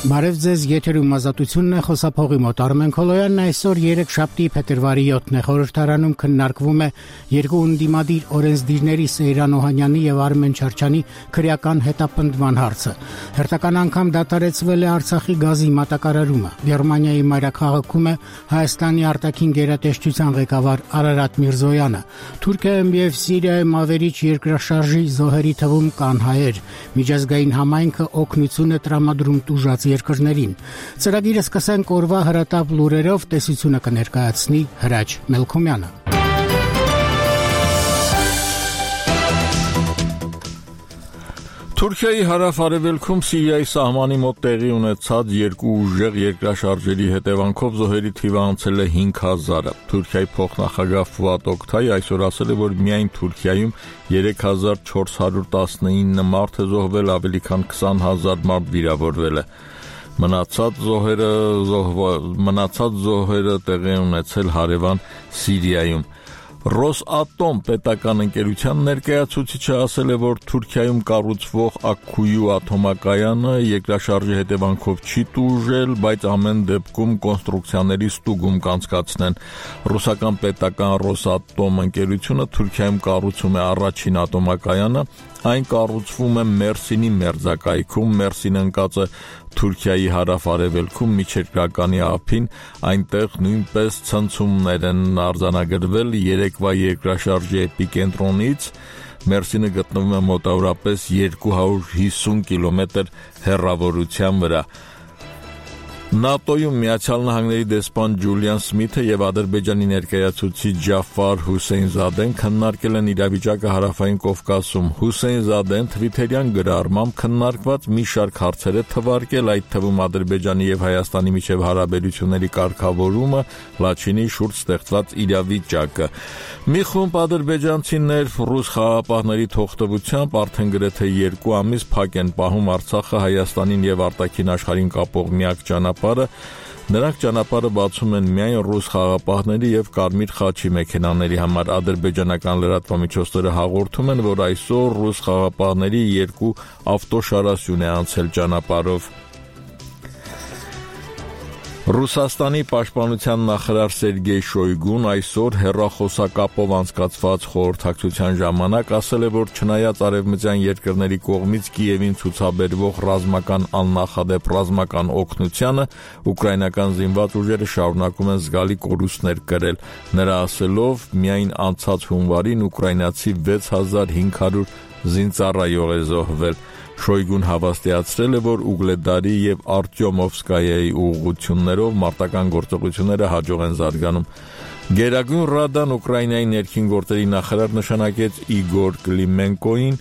Բարև ձեզ, եթերում ազատությունն է, խոսափողի մոտ Արմեն Քոլոյանն այսօր 3 շաբթի փետրվարի 7-ն է խորհրդարանում քննարկվում է երկու ընդդիմադիր օրենսդիրների Սեյրան Օհանյանի եւ Արմեն Չարչյանի քրեական հետապնդման հարցը։ Հերթական անգամ դադարեցվել է Արցախի գազի մատակարարումը։ Գերմանիայի մայրաքաղաքում է Հայաստանի արտաքին գերատեսչության ղեկավար Արարատ Միրզոյանը։ Թուրքիայում եւ Սիրիայում ավերիչ երկրաշարժի զոհերի թվում կան հայեր։ Միջազգային համայնքը օգնություն է տրամադրում տուժած երկրներին։ Ծրագիրը սկսենք օրվա հրատապ լուրերով, տեսությունը կներկայացնի Հրաչ Մելքոմյանը։ Թուրքիայի հարավ-արևելքում Սիրիայի սահմանի մոտ տեղի ունեցած երկու ուժեղ երկրաշարժերի հետևանքով զոհերի թիվը անցել է 5000-ը։ Թուրքիայի փոխնախագահ Ֆուատ Օկտայ այսօր ասել է, որ միայն Թուրքիայում 3419 մարդ է զոհվել, ավելի քան 20000 մարդ վիրավորվել է։ Մնացած զոհերը տեղի ունեցել հարևան Սիրիայում։ Ռոսատոմ պետական ընկերության ներկայացուցիչը ասել է, որ Թուրքիայում կառուցվող Աքքույու ատոմակայանը երկրաշարժի հետևանքով չի տուժել, բայց ամեն դեպքում կոնստրուկցիաների ստուգում կանցկացնեն։ Ռուսական պետական Ռոսատոմ ընկերությունը Թուրքիայում կառուցում է առաջին ատոմակայանը, այն կառուցվում է Մերսինի մերձակայքում, Մերսինը ընկած է Թուրքիայի հարավ-արևելքում միջերկրականի ափին, այնտեղ նույնպես ցնցումներ են արձանագրվել երեկվա երկրաշարժի էպիկենտրոնից։ Մերսինը գտնվում է մոտավորապես 250 կիլոմետր հեռավորության վրա։ ՆԱՏՕ-ում Միացյալ Նահանգների դեսպան Ջուլիան Սմիթը եւ Ադրբեջանի ներկայացուցիչ Ջաֆար Հուսեյնզադեն քննարկել են իրավիճակը հարավային Կովկասում։ Հուսեյնզադեն թվիթերյան գրառմամբ քննարկված մի շարք հարցեր է թվարկել, այդ թվում Ադրբեջանի եւ Հայաստանի միջև հարաբերությունների կարգավորումը, Լաչինի շուրջ ստեղծված իրավիճակը։ Մի խումբ ադրբեջանցիներ ռուս խաղաղապահների թողտվությամբ արդեն գրեթե 2 ամիս փակ են պահում Արցախը Հայաստանին եւ արտաքին աշխարհին կապող միակ ճանապարհը։ Նրանք ճանապարհը բացում են միայն ռուս խաղաղապահների եւ Կարմիր խաչի մեքենաների համար։ Ադրբեջանական լրատվամիջոցները հաղորդում են, որ այսօր ռուս խաղաղապահների 2 ավտոշարասյուն է անցել ճանապարհով։ Ռուսաստանի պաշտպանության նախարար Սերգեյ Շոյգուն այսօր հեռախոսակապով անցկացված խորհրդակցության ժամանակ ասել է, որ չնայած արևմտյան երկրների կողմից Կիևին ցուցաբերվող ռազմական աննախադեպ ռազմական օգնությանը, ուկրաինական զինված ուժերը շարունակում են զգալի կորուստներ կրել։ Նրա ասելով, միայն անցած հունվարին ուկրաինացի 6500 զինծառայող է զոհվել։ Շոյգուն հավաստիացրել է, որ Ուգլեդարի եւ Արտյոմովսկայայի ուղղություններով մարտական գործողությունները հաջող են զարգանում։ Գերագույն Ռադան Ուկրաինայի ներքին գործերի նախարար նշանակեց Իգոր Կլիմենկոին։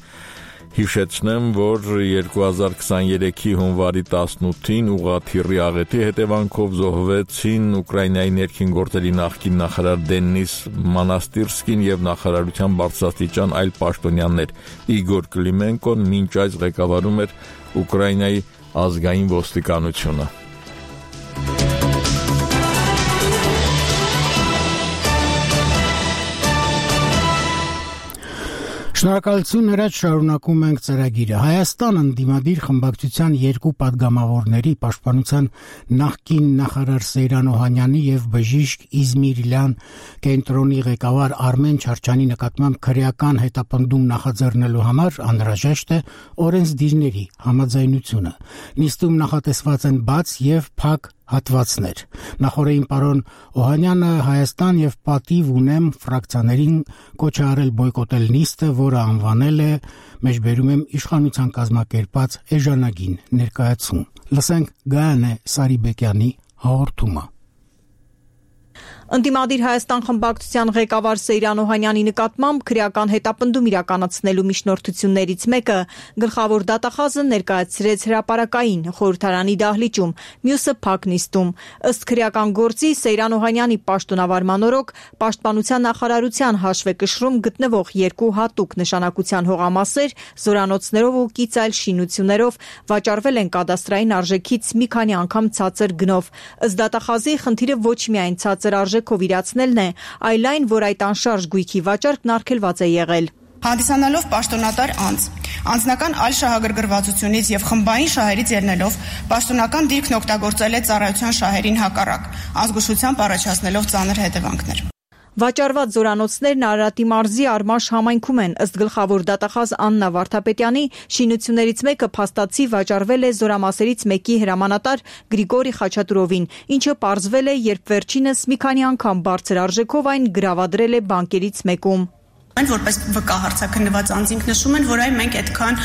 Հիշեցնեմ, որ 2023-ի հունվարի 18-ին ուղղաթիռի աղետի հետևանքով զոհվեցին Ուկրաինայի ներքին գործերի նախկին նախարար Դենիս Մանաստիրսկին եւ նախարարության բարձրաստիճան այլ պաշտոնյաներ։ Իգոր Կլիմենկոն մինչ այս ղեկավարում էր Ուկրաինայի ազգային ոստիկանությունը։ Շնորհակալություն, Հրաչ, շարունակում ենք ծրագիրը։ Հայաստան ընդդիմադիր խմբակցության երկու պատգամավորների պաշտպանության նախկին նախարար Սեյրան Օհանյանի եւ բժիշկ Իզմիրիլյան կենտրոնի ղեկավար Արմեն Չարչյանի նկատմամբ քրեական հետապնդում նախաձեռնելու համար անհրաժեշտ է օրենսդիրների համաձայնությունը։ Նիստում նախատեսված են բաց եւ փակ հատվածներ։ Նախորդին պարոն Օհանյանը Հայաստան եւ Պատիվ ունեմ ֆրակցիաներին կոչ է արել բոյկոտել նիստը, որը անվանել է մեջբերում եմ իշխանության կազմակերպած էժանագին ներկայացում։ Լսենք Գայանե Սարիբեկյանի հաղորդումը։ Ընդդիմադիր Հայաստան խմբակցության ղեկավար Սեյրան Օհանյանի նկատմամբ քրեական հետապնդում իրականացնելու միջնորդություններից մեկը գլխավոր դատախազը ներկայացրեց հրապարակային խորհրդարանի դահլիճում, մյուսը փակ նիստում։ Ըստ քրեական գործի Սեյրան Օհանյանի պաշտոնավարման օրոք պաշտպանության նախարարության հաշվեկշռում գտնվող երկու հատուկ նշանակության հողամասեր զորանոցներով ու կից այլ շինություններով վաճառվել են կադաստրային արժեքից մի քանի անգամ ցածր գնով։ Ըստ դատախազի խնդիրը ոչ միայն ցածր արժեքով իրացնելն է, այլ այն, որ այդ անշարժ գույքի վաճառքն արգելված է եղել։ Հանդիսանալով պաշտոնատար անձ, անձնական այլ շահագրգռվածությունից եւ խմբային շահերից ելնելով պաշտոնական դիրքն օգտագործել է ծառայության շահերին հակառակ, ազգուշությամբ առաջացնելով ծանր հետևանքներ։ Վաճառված զորանոցներն Արարատի մարզի Արմաշ համայնքում են, ըստ գլխավոր դատախազ Աննա Վարդապետյանի, շինություններից մեկը փաստացի վաճառվել է զորամասերից մեկի հրամանատար Գրիգորի Խաչատուրովին, ինչը պարզվել է, երբ վերջինս մի քանի անգամ բարձր արժեքով այն գրավադրել է բանկերից մեկում։ Որպես վկա հարցաքննված անձինք նշում են, որ այ մենք այդքան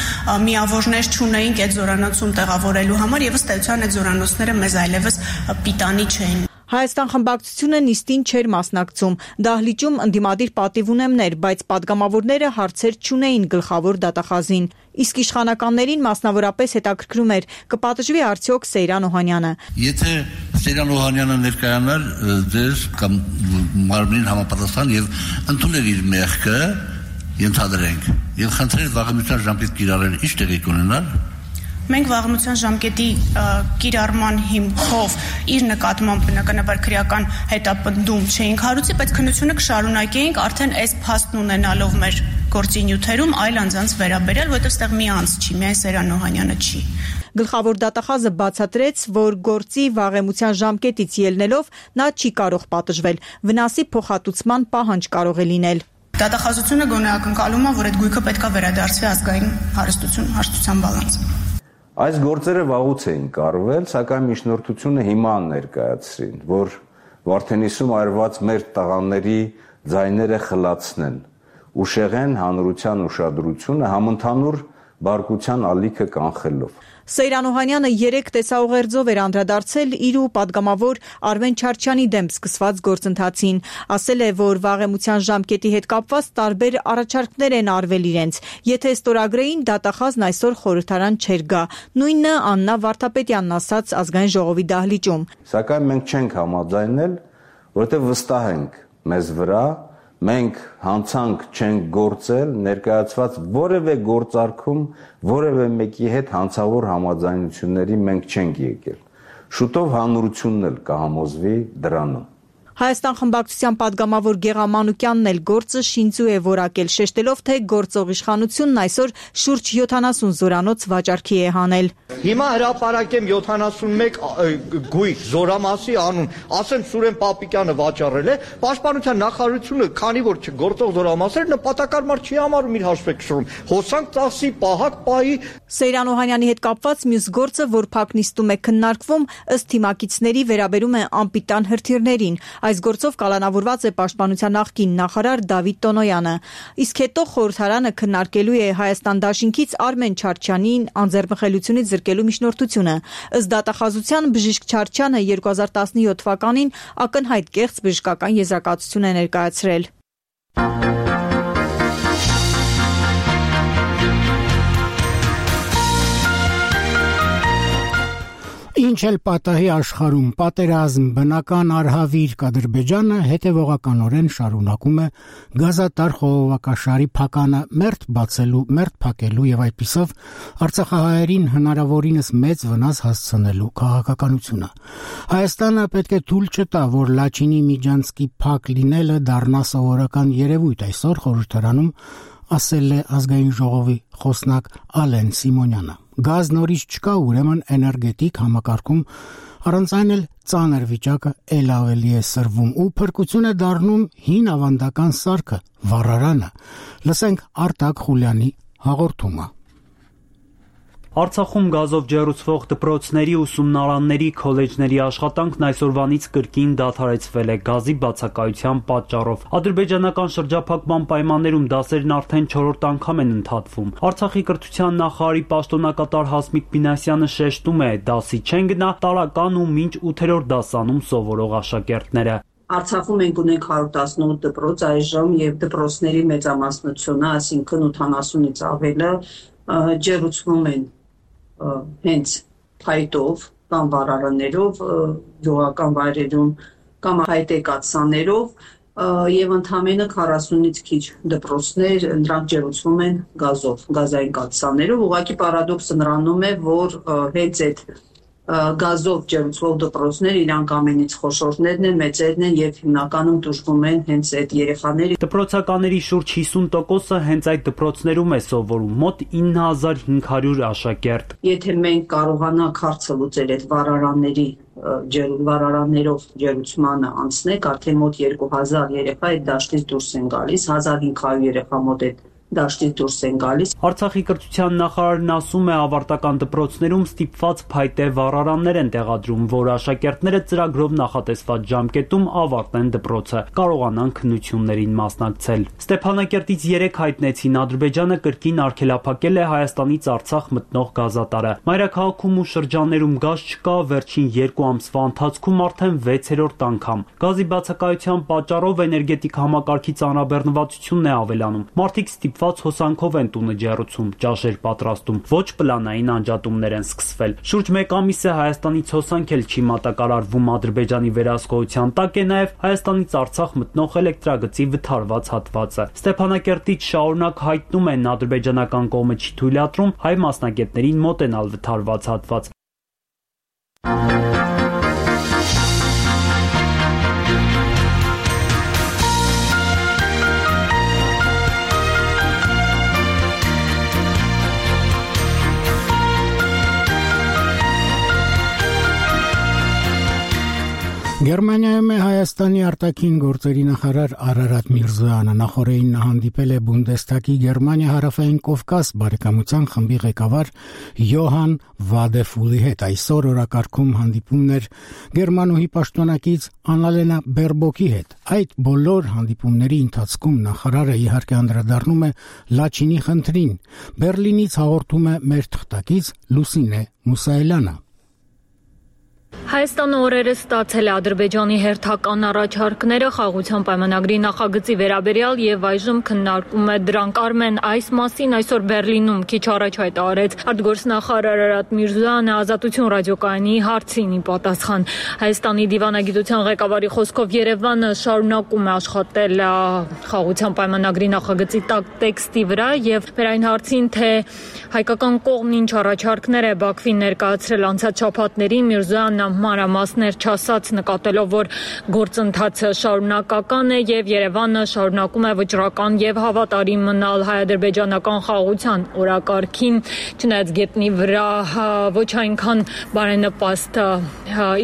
միավորներ չունեինք այդ զորանոցում տեղավորելու համար եւ ըստ էության այդ զորանոցները մեզ այլևս պիտանի չէին։ Հայաստան խմբակցությունը նիստին չէր մասնակցում, դահլիճում ընդդիմադիր պատիվունեմներ, բայց падգամավորները հարցեր չունեին գլխավոր դատախազին։ Իսկ իշխանականներին մասնավորապես հետաքրքրում էր, կպատժվի արդյոք Սեյրան Օհանյանը։ Եթե Սեյրան Օհանյանը ներկայանար ձեր կամ մարմնին համապատասխան եւ ընդուներ իր մեղքը, ենթադրենք, եւ խնդրեր վաղամիջյան ժամկետ կիրառել, ինչ տեղի կունենար։ Մենք վաղամիջյան ժամկետի կիրառման հիմքով իր նկատմամբ բնականաբար քրեական հետապնդում չէինք հարուցի, բայց քննությունը կշարունակեինք արդեն այս փաստն ունենալով մեր գործի նյութերում այլ անձանց վերաբերյալ, որովհետև այստեղ մի անձ չի, միայն Սեյրան Օհանյանը չի։ Գլխավոր դատախազը բացատրեց, որ գործի վաղեմության ժամկետից ելնելով նա չի կարող պատժվել, վնասի փոխհատուցման պահանջ կարող է լինել։ Դատախազությունը գոնե ակնկալում է, որ այդ գույքը պետք է վերադարձվի ազգային հարստության բալանս։ Այս գործերը վաղուց էին կարվել, սակայն միջնորդությունը հիմա ներկայացրին, որ Վարդենիսում այրված մեր տղաների ձայները խլացնեն, ուշեղեն հանրության ուշադրությունը համընդհանուր բարկության ալիքը կանխելով։ Սեյրան Օհանյանը 3 տեսաուղերձով էր անդրադարձել իր ու падգամավոր Արմեն Չարչյանի դեմ սկսված գործընթացին, ասել է, որ վաղեմության ժամկետի հետ կապված տարբեր առաջարկներ են արվել իրենց։ Եթե ստորագրեին, դատախազն այսօր խորհրդարան չէր գա։ Նույնը Աննա Վարդապետյանն ասաց ազգային ժողովի դահլիճում։ Սակայն մենք չենք համաձայնել, որովհետև վստահ ենք մեզ վրա, մենք հանցանք չենք գործել, ներկայացված որևէ գործարքում որևէ մեկի հետ հանցավոր համաձայնությունների մենք չենք եկել։ Շուտով հանրությունն էլ կհամոզվի դրանում։ Հայաստան խմբակցության падգամավոր Գեղամ Մանուկյանն էլ գործը շինծու է որակել, շեշտելով, թե գործող իշխանությունն այսօր շուրջ 70 զորանոց վաճառքի է հանել։ Հիմա հրապարակեմ 71 գույք զորամասի անուն, ասեմ Սուրեն Պապիկյանը վաճառել է, Պաշտպանության նախարարությունը, քանի որ գործող զորամասեր նպատակարար չի համարում իր հաշվեկշռում, հոսանք ծախսի, պահակ պահի։ Սեյրան Օհանյանի հետ կապված մյուս գործը, որ փակ նիստում է քննարկվում, ըստ թիմակիցների վերաբերում է անպիտան հրթիռներին։ Այս գործով կալանավորված է Պաշտպանության նախկին նախարար Դավիթ Տոնոյանը։ Իսկ հետո խորհրդարանը քննարկելու է Հայաստան դաշինքից Արմեն Չարչյանին անձեռնխելությունից զրկելու միջնորդությունը։ Ըստ դատախազության բժիշկ Չարչյանը 2017 թվականին ակնհայտ կեղծ բժշկական եզրակացություն է ներկայացրել։ Ինչ էլ պատահի աշխարհում, պատերազմ, բնական արհավիր Ադրբեջանը հետևողականորեն շարունակում է գազատար խողովակաշարի փականը մերթ փակելու եւ այդպիսով արցախահայերին հնարավորինս մեծ վնաս հասցնելու քաղաքականությունը։ Հայաստանը պետք է թույլ չտա, որ Լաչինի Միջանցկի փակ լինելը դառնա սովորական երևույթ, այսօր խորհրդարանում ասել է ազգային ժողովի խոսնակ Ալեն Սիմոնյանը։ Գազ նորից չկա, ուրեմն էներգետիկ համակարգում առանց այն էլ ծանր վիճակը էլ ավելի է սրվում ու փրկություն է դառնում հին ավանդական սարքը, վառարանը։ Լսենք Արտակ Խուլյանի հաղորդումը։ Արցախում գազով ջեռուցվող դպրոցների, ուսումնարանների, քոլեջների աշխատանքն այսօրվանից կրկին դադարեցվել է գազի բացակայության պատճառով։ Ադրբեջանական շրջափակման պայմաններում դասերն արդեն 4-րդ անգամ են ընդհատվում։ Արցախի կրթության նախարարի պաշտոնակատար Հասմիկ Բինասյանը շեշտում է, դասի չեն գնա տարական ու մինչ 8-րդ դասանում սովորող աշակերտները։ Արցախում ենք ունենք 118 դպրոց այժմ եւ դպրոցների մեծամասնությունը, այսինքն 80-ից ավելը ջեռուցվում են հենց փայտով կամ վառարաններով, գյուղական վայրերում կամ հայտեկացաներով եւ ընդամենը 40-ից քիչ դպրոցներ դրանք ջեռուցվում են գազով, գազային կաթսաներով։ Ուղղակի պարադոքսը նրանում է, որ հենց այդ գազով ջերմվող դպրոցներ իրանք ամենից խոշորներն են, մեծերն են եւ հիմնականում դժգում են հենց այդ երեխաների։ Դպրոցականների շուրջ 50%-ը հենց այդ դպրոցներում է սովորում, մոտ 9500 աշակերտ։ Եթե մենք կարողանանք հարցը լուծել այդ վարարաններով ջերուցմանը անցնենք, արդեն մոտ 2000 երեխա այդ դաշտից դուրս են գալիս, 1500 երեխա մոտ այդ դաշտից դուրս են գալիս։ Արցախի կրթության նախարարն ասում է, ավարտական դպրոցներում ստիպված փայտե վառարաններ են տեղադրում, որ աշակերտները ծրագրով նախատեսված ժամկետում ավարտեն դպրոցը, կարողանան քննություններին մասնակցել։ Ստեփանակերտից 3 հայտնեցին, Ադրբեջանը կրկին արգելափակել է Հայաստանից Արցախ մտնող գազատարը։ Մայրաքաղաքում ու շրջաններում գազ չկա, վերջին 2 ամսվա ընթացքում արդեն 6-րդ անգամ։ Գազի բացակայության պատճառով էներգետիկ համակարգի ծանրաբեռնվածությունն է ավելանում։ Մարդիկ ստիպված հոսանքով են տունը ջեռուցում, ճաշեր պատրաստում, ոչ պլանային անջատումներ են սկսվել։ Շուրջ 1 ամիս է Հայաստանից հոսանք էլ չի մատակարարվում, Ադրբեջանի վերահսկողության տակ է նաև Հայաստանից Արցախ մտնող էլեկտրագծի վթարված հատվածը։ Ստեփանակերտից շարունակ հայտնում են, ադրբեջանական կողմը չի թույլատրում հայ մասնագետներին մոտենալ վթարված հատված։ Գերմանիայում է Հայաստանի արտաքին գործերի նախարար Արարատ Միրզոյանը, նախորդին նա հանդիպել է Բունդեսթագի Գերմանիա հարավային Կովկաս բարեկամության խմբի ղեկավար Յոհան Վադեֆուլի հետ։ Այսօր օրակարգում հանդիպումներ Գերմանուհի պաշտոնակից Աննալենա Բերբոկի հետ։ Այդ բոլոր հանդիպումների ընթացքում նախարարը իհարկե անդրադառնում է Լաչինի խնդրին։ Բերլինից հաղորդում է մեր թղթակից Լուսինե Մուսայելյանը։ Հայաստանը օրերս ստացել է Ադրբեջանի հերթական առաջարկները խաղաղության պայմանագրի նախագծի վերաբերյալ եւ այժմ քննարկում է դրանք։ Արմեն, այս մասին այսօր Բերլինում քիչ առաջ հայտարարեց արտգործնախարար Արարատ Միրզոյանը Ազատություն ռադիոկայանի հարցին ի պատասխան։ Հայաստանի դիվանագիտության ղեկավարի խոսքով Երևանը շարունակում է աշխատել խաղաղության պայմանագրի նախագծի տեքստի վրա եւ մեր այն հարցին, թե հայկական կողմն ինչ առաջարկներ է Բաքվին ներկայացրել անցած շաբաթներին, Միրզոյանը մանրամասներ չասաց, նկատելով, որ գործընթացը շարունակական է եւ Երևանը շարունակում է վճռական եւ հավատարիմ մնալ հայ-ադրբեջանական խաղաղության օրակարգին, չնայած գետնի վրա ոչ այնքան բարենպաստ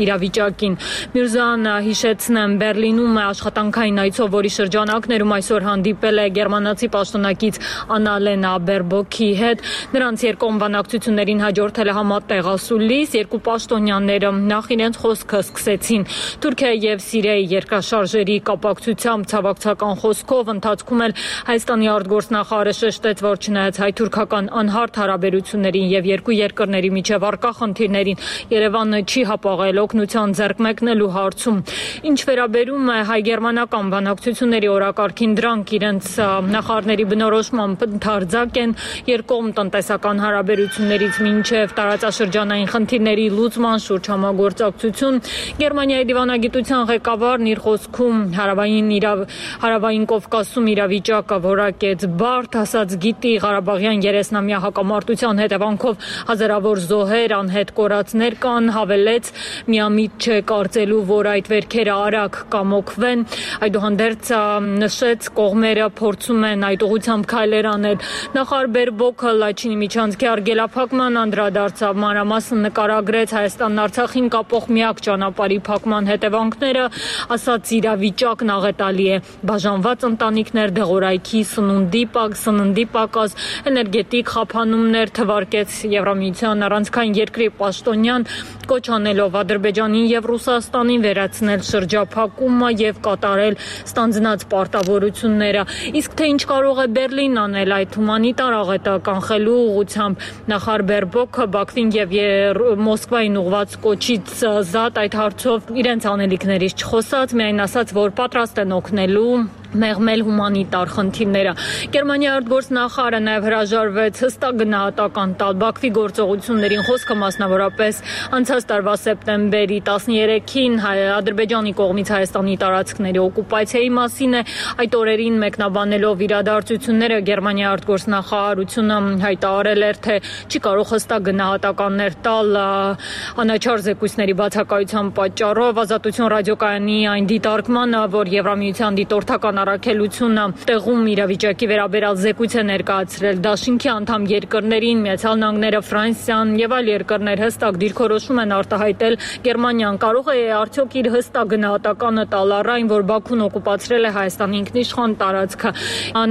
իրավիճակին։ Միրզոյանը, հիշեցնեմ, Բերլինում է աշխատանքային այցով, որի շրջանակներում այսօր հանդիպել է գերմանացի պաշտոնակից Աննալենա Բերբոկի հետ։ Նրանց երկկողմ բանակցություններին հաջորդել է համատեղ ասուլիս, երկու պաշտոնյաները նախ իրենց խոսքը սկսեցին Թուրքիայի եւ Սիրիայի երկրաշարժերի կապակցությամբ ցավակցական խոսքով, ընթացքում էլ Հայաստանի արտգործնախարարը շեշտեց, որ չնայած հայ-թուրքական անհարթ հարաբերություններին եւ երկու երկրների միջև առկա խնդիրներին, Երևանը չի հապաղել օգնության ձեռք մեկնելու հարցում։ Ինչ վերաբերում է հայ-գերմանական բանակցությունների օրակարգին, դրանք իրենց նախարարների բնորոշմամբ ընդարձակ են երկկողմ տնտեսական հարաբերություններից մինչև տարածաշրջանային խնդիրների լուծման շուրջ համագործակցություն։ Գերմանիայի դիվանագիտության ղեկավարն իր խոսքում հարավային Կովկասում իրավիճակը որակեց բարդ, ասաց գիտի Ղարաբաղյան 30-ամյա հակամարտության հետևանքով հազարավոր զոհեր, անհետ կորածներ կան, հավելեց միամիտ չէ կարծելու, որ այդ վերքերը արագ կամոքվեն։ Այդուհանդերձ նշեց կողմերը փորձում են այդ ուղղությամբ քայլեր անել։ Նախարար Բերբոկը Լաչինի միջանցքի արգելափակման անդրադարձավ, մանրամասն նկարագրեց Հայաստանն Արցախին կապող միակ ճանապարհի փակման հետևանքները, ասաց իրավիճակն աղետալի է, բաժանված ընտանիքներ, դեղորայքի, սննդի պակաս, էներգետիկ խափանումներ, թվարկեց Եվրամիության առանցքային երկրի պաշտոնյան, կոչ անելով Ադրբեջանին եւ Ռուսաստանին վերացնել շրջափակումը եւ կատարել ստանձնած պարտավորությունները։ Իսկ թե ինչ կարող է Բերլին անել այդ հումանիտար աղետը կանխելու ուղղությամբ, նախարար Բերբոկը Բաքվին եւ Մոսկվային ուղղված կոչից զատ այդ հարցով իրենց անելիքներից չխոսած, միայն ասաց, որ պատրաստ են օգնելու մեղմել հումանիտար խնդիրները։ Գերմանիայի արտգործնախարարը նաև հրաժարվեց հստակ գնահատական տալ Բաքվի գործողություններին, խոսքը մասնավորապես անցած տարվա սեպտեմբերի 13-ին Ադրբեջանի կողմից Հայաստանի տարածքների օկուպացիայի մասին է։ Այդ օրերին մեկնաբանելով իրադարձությունները Գերմանիայի արտգործնախարարությունը հայտարարել էր, թե չի կարող հստակ գնահատականներ տալ անաչառ զեկույցների բացակայության պատճառով Ազատություն ռադիոկայանի այն դիտարկմանը, որ Եվրամիության դիտորդական առաքելությունը տեղում իրավիճակի վերաբերյալ զեկույց է ներկայացրել դաշինքի անդամ երկրներին, Միացյալ Նահանգները, Ֆրանսիան եւ այլ երկրներ հստակ դիրքորոշում են արտահայտել Գերմանիան կարող է արդյոք իր հստակ գնահատականը տալ այն, որ Բաքուն օկուպացրել է Հայաստանի ինքնիշխան տարածքը։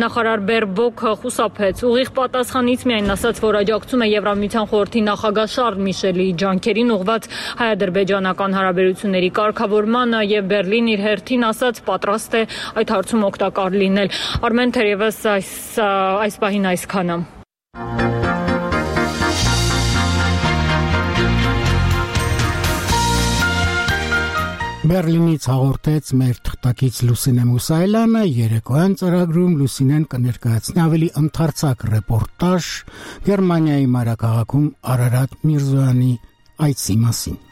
Նախարար Բերբոկը խուսափեց ուղիղ պատասխանից, միայն ասաց, որ աջակցում է Եվրամիության խորհրդի նախագահ Շարլ Միշելի ջանքերին ուղղված հայ-ադրբեջանական հարաբերությունների կարգավորմանը եւ Բերլին իր հերթին ասաց պատրաստ է այդ հարցում օգտակար լինել։ Արմեն, թերևս այս պահին այսքանը։ Բերլինից հաղորդեց մեր թղթակից Լուսինե Մուսայելյանը, երեկոյան ծրագրում Լուսինեն կներկայացնի ավելի ընդարձակ ռեպորտաժ Գերմանիայի մայրաքաղաքում Արարատ Միրզոյանի այցի մասին։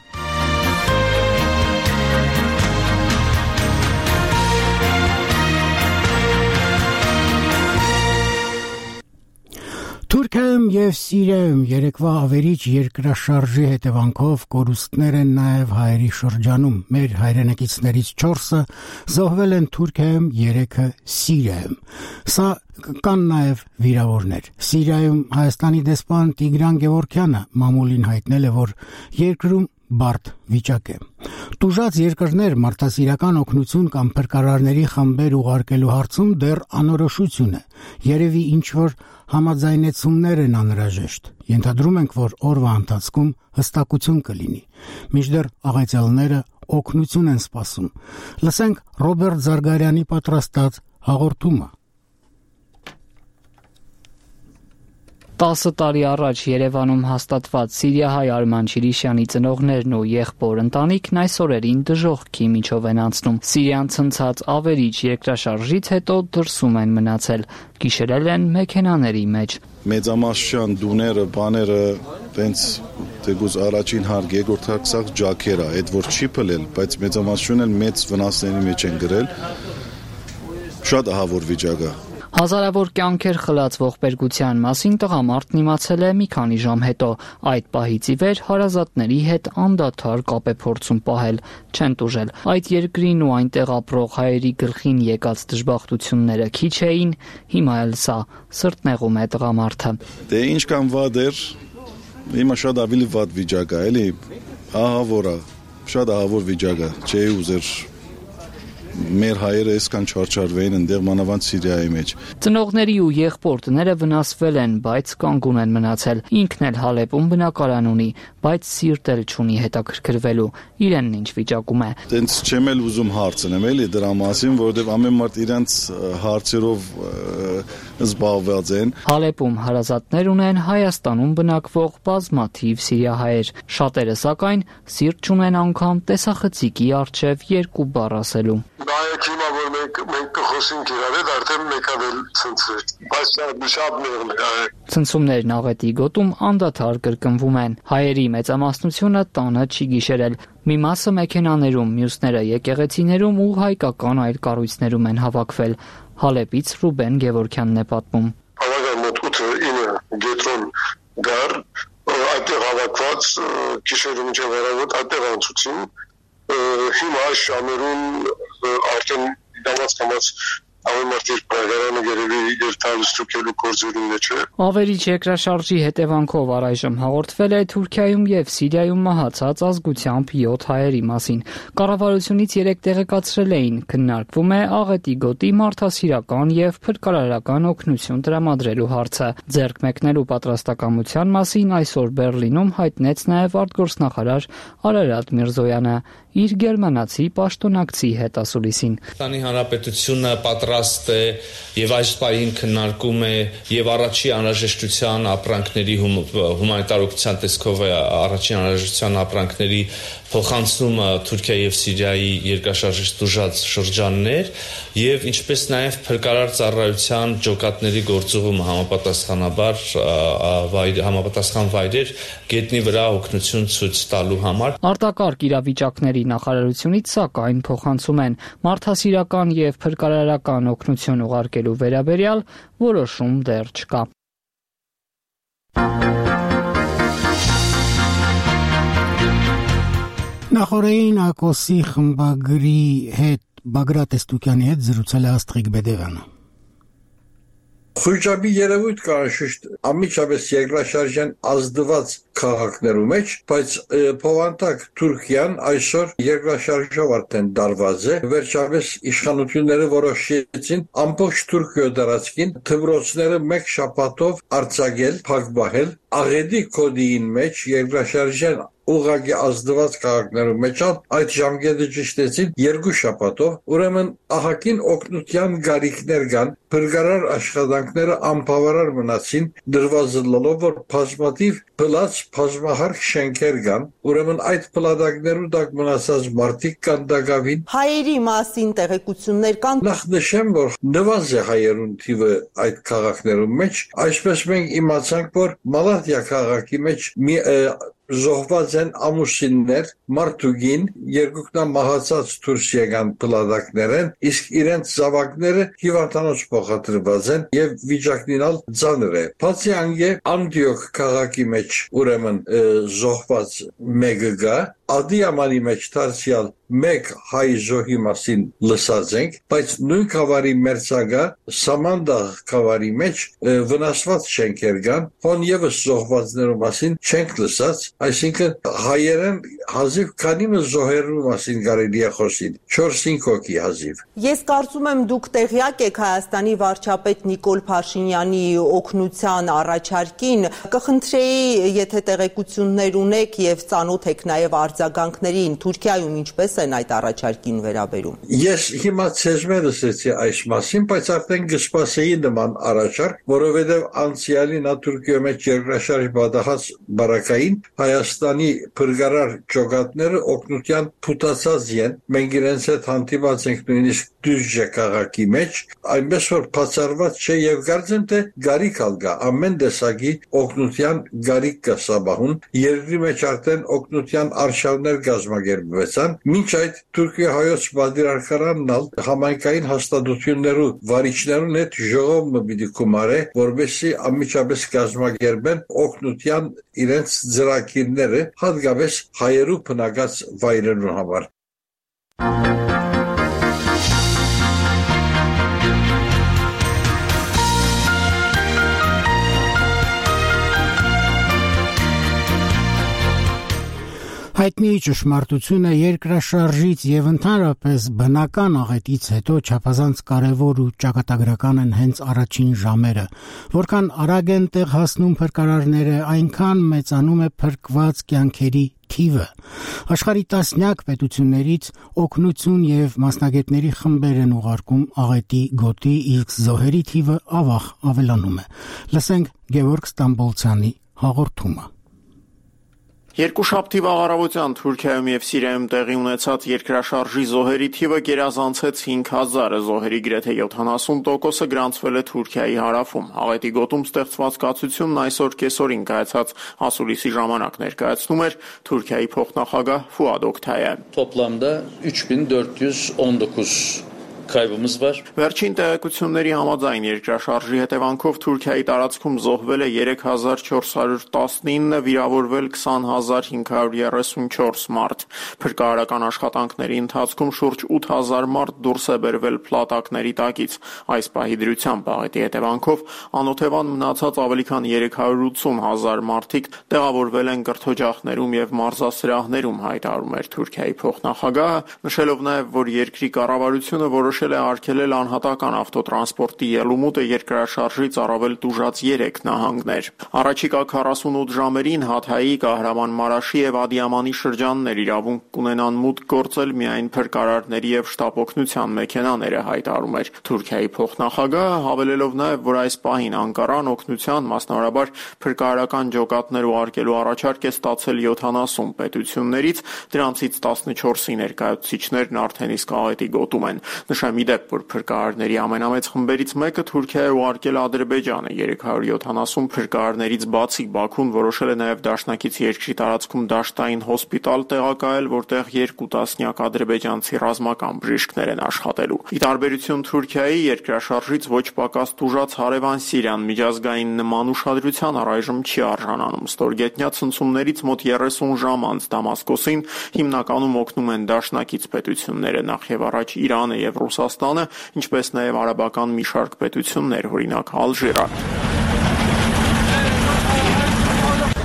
Թուրքիայում եւ Սիրիայում երեկվա ավերիչ երկրաշարժի հետևանքով կորուստներ են նաեւ հայերի շրջանում։ Մեր հայրենակիցներից 4-ը զոհվել են Թուրքիայում, 3-ը Սիրիայում։ Սա կան նաեւ վիրավորներ։ Սիրիայում Հայաստանի դեսպան Տիգրան Գևորգյանը մամուլին հայտնել է, որ երկրում բարդ վիճակ է։ Տուժած երկրներ մարդասիրական օգնություն կամ փրկարարների խմբեր ուղարկելու հարցում դեռ անորոշություն է։ Երևի ինչ-որ համաձայնեցումներ են անհրաժեշտ։ Ենթադրում ենք, որ օրվա ընթացքում հստակություն կլինի։ Մինչդեռ աղետյալները օգնություն են սպասում։ Լսենք Ռոբերտ Զարգարյանի պատրաստած հաղորդումը։ 10 տարի առաջ Երևանում հաստատված սիրիահայ Արման Չիրիշյանի ծնողներն ու եղբոր ընտանիքն այս օրերին դժոխքի միջով են անցնում։ Սիրիան ցնցած ավերիչ երկրաշարժից հետո դրսում են մնացել, գիշերել են մեքենաների մեջ։ Մեծամասնության դուները, բաները, տենց թեկուզ առաջին հարկ, երկրորդ հարկ սաղ ջաքեր է, այդ որ չի փլել, բայց մեծամասնությունն էլ մեծ վնասների մեջ են գրել։ Շատ ահավոր վիճակ է։ Հազարավոր կյանքեր խլացվող բերգության մասին տղամարդն իմացել է մի քանի ժամ հետո։ Այդ պահից ի վեր հարազատների հետ անդադար կապ է փորձում պահել, չեն տուժել։ Այդ երկրին ու այնտեղ ապրող հայերի գլխին եկած դժբախտությունները քիչ էին, հիմա էլ սա սրտնեղում է տղամարդը։ Դե ինչ կան վատ էր, հիմա շատ ավելի վատ վիճակ է, էլի, ահավոր է, շատ ահավոր վիճակ է, չէի ուզեր մեր հայերը այսքան չարչարվեին ընդեղ մանավանդ Սիրիայի մեջ։ Ծնողների ու եղբորտները վնասվել են, բայց կանգուն են մնացել։ Ինքն էլ Հալեպում բնակարան ունի, բայց սիրտ էլ չունի հետաքրքրվելու։ Իրենն ինչ վիճակում է։ Տենց չեմ էլ ուզում հարցնեմ էլի դրա մասին, որովհետև ամեն մարդ իրենց հարցերով զբաղված են։ Հալեպում հարազատներ ունեն Հայաստանում բնակվող բազմաթիվ սիրիահայեր։ Շատերը սակայն սիրտ չունեն անգամ տեսախցիկի առջև երկու բառ ասելու։ Նայեք հիմա որ մենք կխոսենք իրար հետ արդեն մեկան էլ ցնցրել, բայց շատ մեղմ է։ Ցնցումներն աղետի գոտում անդադար կրկնվում են։ Հայերի մեծամասնությունը տանը չի գիշերել։ Մի մասը մեքենաներում, մյուսները եկեղեցիներում ու հայկական այլ կառույցներում են հավաքվել։ Հալեպից Ռուբեն Գևորգյանն է պատմում։ Հավաքան մոտ 8-9 գետրոն գար, այդտեղ հավաքված գիշերում մինչև առավոտ այդտեղ անցուցին։ Հիմա այս ժամերում արդեն դամած ամեն մարդի պայքարանը գերելի երթալստուկելու գործերին մեջ է։ Ավերիչ երկրաշարժի հետևանքով առայժմ հաղորդվել է Թուրքիայում եւ Սիրիայում մահացած ազգությամբ 7 հայերի մասին։ Կառավարությունից 3 տեղեկացրել էին, քննարկվում է աղետի գոտի մարդասիրական եւ փրկարարական օգնություն տրամադրելու հարցը։ Ձեռք մեկնելու պատրաստակամության մասին այսօր Բերլինում հայտնեց նաեւ արտգործնախարար Արարատ Միրզոյանը իր գերմանացի պաշտոնակցի հետ ասուլիսին։ Հայաստանի Հանրապետությունը պատրաստ պատրաստ է եւ այս պահին քննարկում է եւ առաջի անհրաժեշտության ապրանքների հումանիտար օգնության տեսքով առաջին անհրաժեշտության ապրանքների փոխանցումը Թուրքիա եւ Սիրիայի երկրաշարժից տուժած շրջաններ եւ ինչպես նաեւ փրկարար ծառայության ջոկատների գործողումը համապատասխան վայրեր գետնի վրա օգնություն ցույց տալու համար։ Արտակարգ իրավիճակների նախարարությունից սակայն փոխանցում են մարդասիրական եւ փրկարարական օգնություն ուղարկելու վերաբերյալ որոշում դեռ չկա։ Նախորդին ԱԿՕՍ-ի խմբագրի հետ Բագրատ Էստուկյանի հետ զրուցել է Աստղիկ Բեդեղյանը։ Խույճաբի երևույթ կա շուտ ամիջապես երկրաշարժյան ազդված քաղաքներու մեջ, բայց փոխանցակ Թուրքիան այսօր երկրաշարժով արդեն դարված է։ Վերջապես իշխանությունները որոշեցին ամբողջ Թուրքիա դարածքին թմրոցները մեկ շաբաթով արձակել, փակбахել, աղեդի կոդին մեջ երկրաշարժյան ուղղակի ազդված քաղաքներու մեջ այդ ժամկետը ճշտեցին 2 շաբաթով, ուրեմն ահագին օգնության գարիքներ կան, փրկարար աշխատանքները անբավարար մնացին, դրվազլելով որ բազմաթիվ փլած բազմահարկ շենքեր կան, ուրեմն այդ փլատակներու տակ մնացած մարդիկ կան դակավին։ Հայերի մասին տեղեկություններ կան։ Նախ նշեմ, որ նվազ է հայերուն թիվը այդ քաղաքներու մեջ, այսպես մենք իմացանք, որ Մալաթիա քաղաքի մեջ զոհված են ամուսիններ, մարդուգին, երկուքնա մահացած դուրս եկան փլատակներեն, իսկ իրենց զավակները հիվանդանոց փոխադրված են եւ վիճակնինալ ծանր է։ Բացի անգե Անդիոք քաղաքի մեջ ուրեմն զոհված մեկը գա, Ադիամանի մեջ դարձյալ մեկ հայ զոհի մասին լսած ենք, բայց նույն խավարի մերձագա Սամանդա խավարի մեջ վնասված շենքեր կան, հոն եւս զոհվածներու մասին չենք լսած, այսինքն հայերեն հազիվ քանի զոհերու մասին կարելի է խոսել, 4-5 հոգի հազիվ։ Ես կարծում եմ դուք տեղյակ եք Հայաստանի վարչապետ Նիկոլ Փաշինյանի օգնության առաջարկին, կխնդրեի, եթե տեղեկություններ ունեք եւ ծանոթ եք նաեւ արձագանքներին Թուրքիայում ինչպես են այդ առաջարկին վերաբերում։ Ես հիմա ցեզմե լսեցի այս մասին, բայց արդեն կսպասեի նման առաջարկ, որովհետև անցյալին Թուրքիայի մեջ երկրաշարժ բադահած բարակային Հայաստանի փրկարար ջոկատները օգնության փութացած են։ Մենք իրենց հետ հանդիպած ենք նույնիսկ Դյուժե քաղաքի մեջ, այնպես որ բացառված չէ եւ կարծեմ թե գարիք ալգա ամեն տեսակի օգնության գարիք կա սաբահուն։ Երկրի մեջ արդեն օգնության արշավներ կազմակերպվեցան, մինչ այդ Թուրքիա հայոց պատվիրակարանն համայնքային հաստատություններու վարիչներուն հետ ժողովը պիտի կումարե, որովհետեւ ամիջապես կազմակերպեն օգնության իրենց ծրագիրները, հատկապես հայերու բնակած վայրերուն համար։ Հայտնի ճշմարտությունը երկրաշարժից եւ ընդհանրապես բնական աղետից հետո չափազանց կարեւոր ու ճակատագրական են հենց առաջին ժամերը, որքան արագ են տեղ հասնում փրկարարները, այնքան մեծանում է փրկված կյանքերի թիվը։ Աշխարհի տասնյակ պետություններից օգնություն եւ մասնագետների խմբեր են ուղարկում աղետի գոտի, իսկ զոհերի թիվը ավաղ ավելանում է։ Լսենք Գևորգ Ստամբոլցյանի հաղորդումը։ Երկուշաբթի վաղարավության Թուրքիայում եւ Սիրիայում տեղի ունեցած երկրաշարժի զոհերի թիվը գերազանցեց 5000-ը, զոհերի գրեթե 70%-ը գրանցվել է Թուրքիայի հարավում։ Աղետի գոտում ստեղծված կացությունն այսօր կեսօրին կայացած ասուլիսի ժամանակ ներկայացնում էր Թուրքիայի փոխնախագահ Ֆուադ Օքթայան։ Toplamda 3419 kaybımız var. Վերջին տեղեկությունների համաձայն երկրաշարժի հետևանքով Թուրքիայի տարածքում զոհվել է 3419, վիրավորվել 20534 մարդ։ Փրկարարական աշխատանքների ընթացքում շուրջ 8000 մարդ դուրս է բերվել փլատակների տակից։ Այս պահի դրությամբ աղետի հետևանքով անօթևան մնացած ավելի քան 380000 մարդիկ տեղավորվել են կրթօջախներում եւ մարզասրահներում, հայտարարում էր Թուրքիայի փոխնախագահը, նշելով նաեւ, որ երկրի կառավարությունը որոշ որոշել է արգելել անհատական ավտոտրանսպորտի ելումուտը երկրաշարժից առավել տուժած 3 նահանգներ։ Առաջիկա 48 ժամերին Հաթայի, Կահրամանմարաշի եւ Ադիամանի շրջաններ իրավունք կունենան մուտք գործել միայն փրկարարների եւ շտապօգնության մեքենաները, հայտարարում էր Թուրքիայի փոխնախագահը, հավելելով նաեւ, որ այս պահին Անկարան օգնության, մասնավորաբար փրկարարական ջոկատներ ուղարկելու առաջարկ է ստացել 70 պետություններից, դրանցից 14-ի ներկայացուցիչներն արդեն իսկ աղետի գոտում են։ Նշեմ ի դեպ, որ փրկարարների ամենամեծ խմբերից մեկը Թուրքիա է ուղարկել Ադրբեջանը, 370 փրկարարներից բացի Բաքուն որոշել է նաև դաշնակից երկրի տարածքում դաշտային հոսպիտալ տեղակայել, որտեղ 2 տասնյակ ադրբեջանցի ռազմական բժիշկներ են աշխատելու։ Ի տարբերություն Թուրքիայի, երկրաշարժից ոչ պակաս տուժած հարևան Սիրիան միջազգային նման ուշադրության առայժմ չի արժանանում։ Ստորգետնյա ցնցումներից մոտ 30 ժամ անց Դամասկոսին հիմնականում օգնում են դաշնակից պետությունները, նախ եւ առաջ Իրանը եւ Ռուսաստանը, ինչպես նաեւ արաբական մի շարք պետություններ, օրինակ Ալժիրը։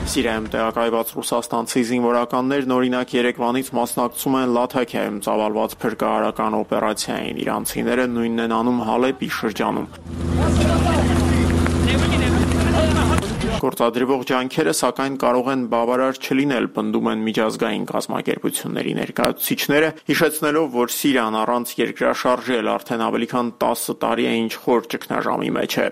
Սիրիայում տեղակայված ռուսաստանցի զինվորականներն օրինակ Երևանից մասնակցում են Լաթաքիայում ծավալված փրկարարական օպերացիային, իրանցիները նույնն են անում Հալեպի շրջանում։ Գործադրվող ջանքերը սակայն կարող են բավարար չլինել, պնդում են միջազգային կազմակերպությունների ներկայացուցիչները, հիշեցնելով, որ Սիրիան առանց երկրաշարժի էլ արդեն ավելի քան 10 տարի է ինչ խոր ճգնաժամի մեջ է։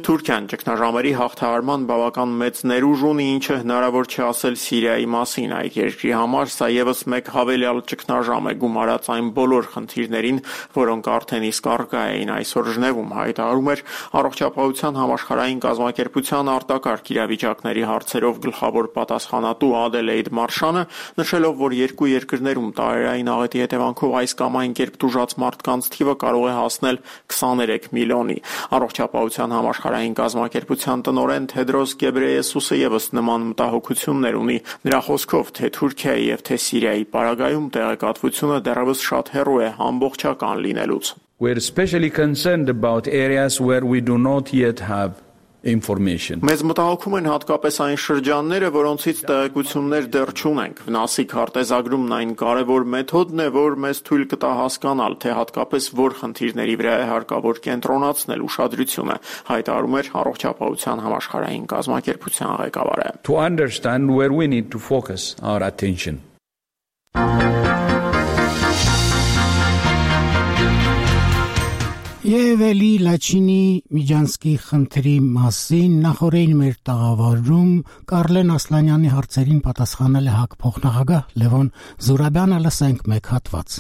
Թուրքիան ճգնաժամերի հաղթահարման բավական մեծ ներուժ ունի, ինչը հնարավոր չէ ասել Սիրիայի մասին։ Այդ երկրի համար սա եւս մեկ հավելյալ ճգնաժամ է գումարած այն բոլոր խնդիրներին, որոնք արդեն իսկ առկա էին այսօր Ժնևում, հայտարարում էր Առողջապահության համաշխարհային կազմակերպության արտակարգ իրավիճակների հարցերով գլխավոր պատասխանատու Ադելեյդ Մարշանը, նշելով, որ երկու երկրներում տարերային աղետի հետևանքով այս կամ այն կերպ տուժած մարդկանց թիվը կարող է հասնել 23 միլիոնի։ Առողջապահության համաշխարհային կազմակերպության տնօրեն Թեդրոս Գեբրեյեսուսը եւս նման մտահոգություններ ունի։ Նրա խոսքով, թե Թուրքիայի եւ թե Սիրիայի պարագայում տեղեկատվությունը դեռևս շատ հեռու է ամբողջական լինելուց։ We're especially concerned about areas where we do not yet have information. Մեզ մտահոգում են հատկապես այն շրջանները, որոնցից տեղեկություններ դեռ չունենք։ Վնասի քարտեզագրումն այն կարևոր մեթոդն է, որ մեզ թույլ կտա հասկանալ, թե հատկապես որ խնդիրների վրա է հարկավոր կենտրոնացնել ուշադրությունը, հայտարարում էր Առողջապահության համաշխարհային կազմակերպության ղեկավարը։ To understand where we need to focus our attention. Եվ էլի Լաչինի Միջանցքի խնդրի մասին նախորդին մեր տաղավարում Կարլեն Ասլանյանի հարցերին պատասխանել է ՀԱԿ փոխնախագահ Լևոն Զուրաբյանը, լսենք մեկ հատված։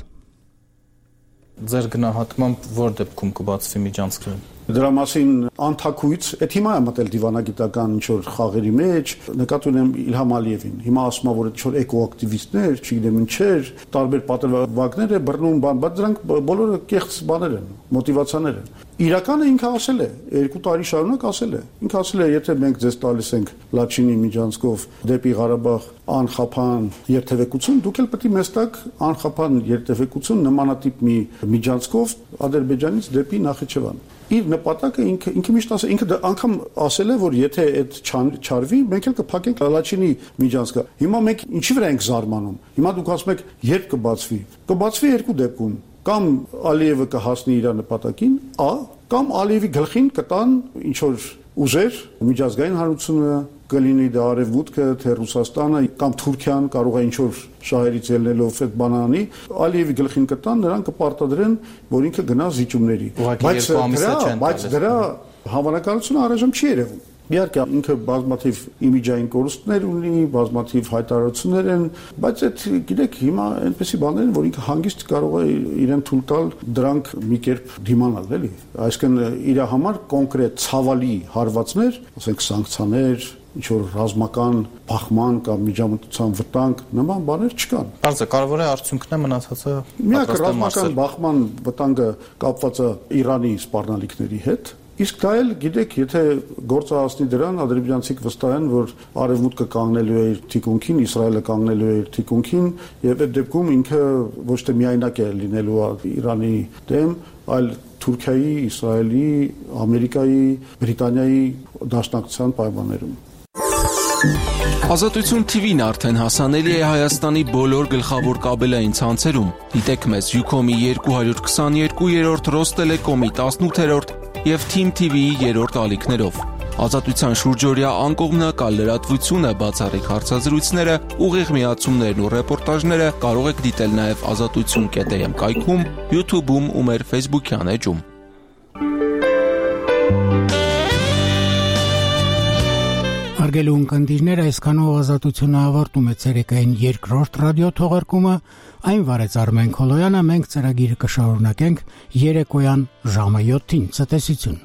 Ձեր գնահատմամբ որ դեպքում կբացվի Միջանցքը։ Դրա մասին անթակույց, այդ հիմա է մտել դիվանագիտական ինչ-որ խաղերի մեջ, նկատի ունեմ Իլհամ Ալիևին։ Հիմա ասում է, որ ինչ-որ էկոակտիվիստներ, չգիտեմ ինչեր, տարբեր պատրվակներ է բռնում, բայց դրանք բոլորը կեղծ բաներ են, մոտիվացիաներ են։ Իրականը ինքը ասել է, 2 տարի շարունակ ասել է։ Ինքը ասել է, եթե մենք ձեզ տալիս ենք Լաչինի Միջանցքով դեպի Ղարաբաղ անխափան երթևեկություն, դուք էլ պետք է մեզ տաք անխափան երթևեկություն նմանատիպ մի միջանցքով Ադրբեջանից դեպի Նախիջևան։ Իր նպատակը ինքը միշտ ասել, ինքը անգամ ասել է, որ եթե այդ չարվի, մենք էլ կփակենք Լաչինի Միջանցքը։ Հիմա մենք ինչի վրա ենք զարմանում։ Հիմա դուք ասում եք, երբ կբացվի։ Կբացվի 2 դեպքում։ Կամ Ալիևը կհասնի իր նպատակին, կամ Ալիևի գլխին կտան ինչ որ ուժեր, միջազգային հանրությունը կլինի դա Արևմուտքը, թե Ռուսաստանը կամ Թուրքիան կարող է ինչ որ շահերից ելնելով այդ բանանի, Ալիևի գլխին կտան, նրան կպարտադրեն, որ ինքը գնա զիջումների։ Բայց դրա հավանականությունը առայժմ չի երևում։ Իհարկե ինքը բազմաթիվ իմիջային կորուստներ ունի, բազմաթիվ հայտարարություններ են, բայց այդ գիտեք հիմա այնպեսի բաներ են, որ ինքը հանգիստ կարող է իրեն թույլ տալ դրանք մի կերպ դիմանալ, էլի։ Այսինքն իր համար կոնկրետ ցավալի հարվածներ, ասենք սանկցիաներ, ինչ որ ռազմական բախման կամ միջամտության վտանգ նման բաներ չկան։ Բարձր կարևոր է արդյունքն է մնացածը։ Միակ ռազմական բախման վտանգը կապված է Իրանի սպառնալիքների հետ։ Իսկ դա էլ գիտեք, եթե գործը հասնի դրան, ադրբեջանցիք վստահ են, որ Արևմուտքը կանգնելու է իր թիկունքին, Իսրայելը կանգնելու է իր թիկունքին, եւ այդ դեպքում ինքը ոչ թե միայնակ է լինելու Իրանի դեմ, այլ Թուրքիայի, Իսրայելի, Ամերիկայի, Բրիտանիայի դաշնակցության պայմաններում։ Ազատություն TV-ն արդեն հասանելի է Հայաստանի բոլոր գլխավոր կաբելային ցանցերում։ Դիտեք մեզ Ucom-ի 222-րդ, Ռոստելեկոմի 18-րդ եւ Team TV-ի 3-րդ ալիքներով։ Ազատության շուրջօրյա անկողմնակալ լրատվությունը, բացառիկ հարցազրույցները, ուղիղ միացումներն ու ռեպորտաժները կարող եք դիտել նաեւ azatutsun.am կայքում, YouTube-ում ու մեր Facebook-յան էջում։ Հարգելի ունկնդիրներ, այսքանով Ազատությունը ավարտում է ցերեկային երկրորդ ռադիո թողարկումը, այն վարեց Արմեն Քոլոյանը, մենք ծրագիրը կշարունակենք երեկոյան ժամը 7-ին։ Ցտեսություն։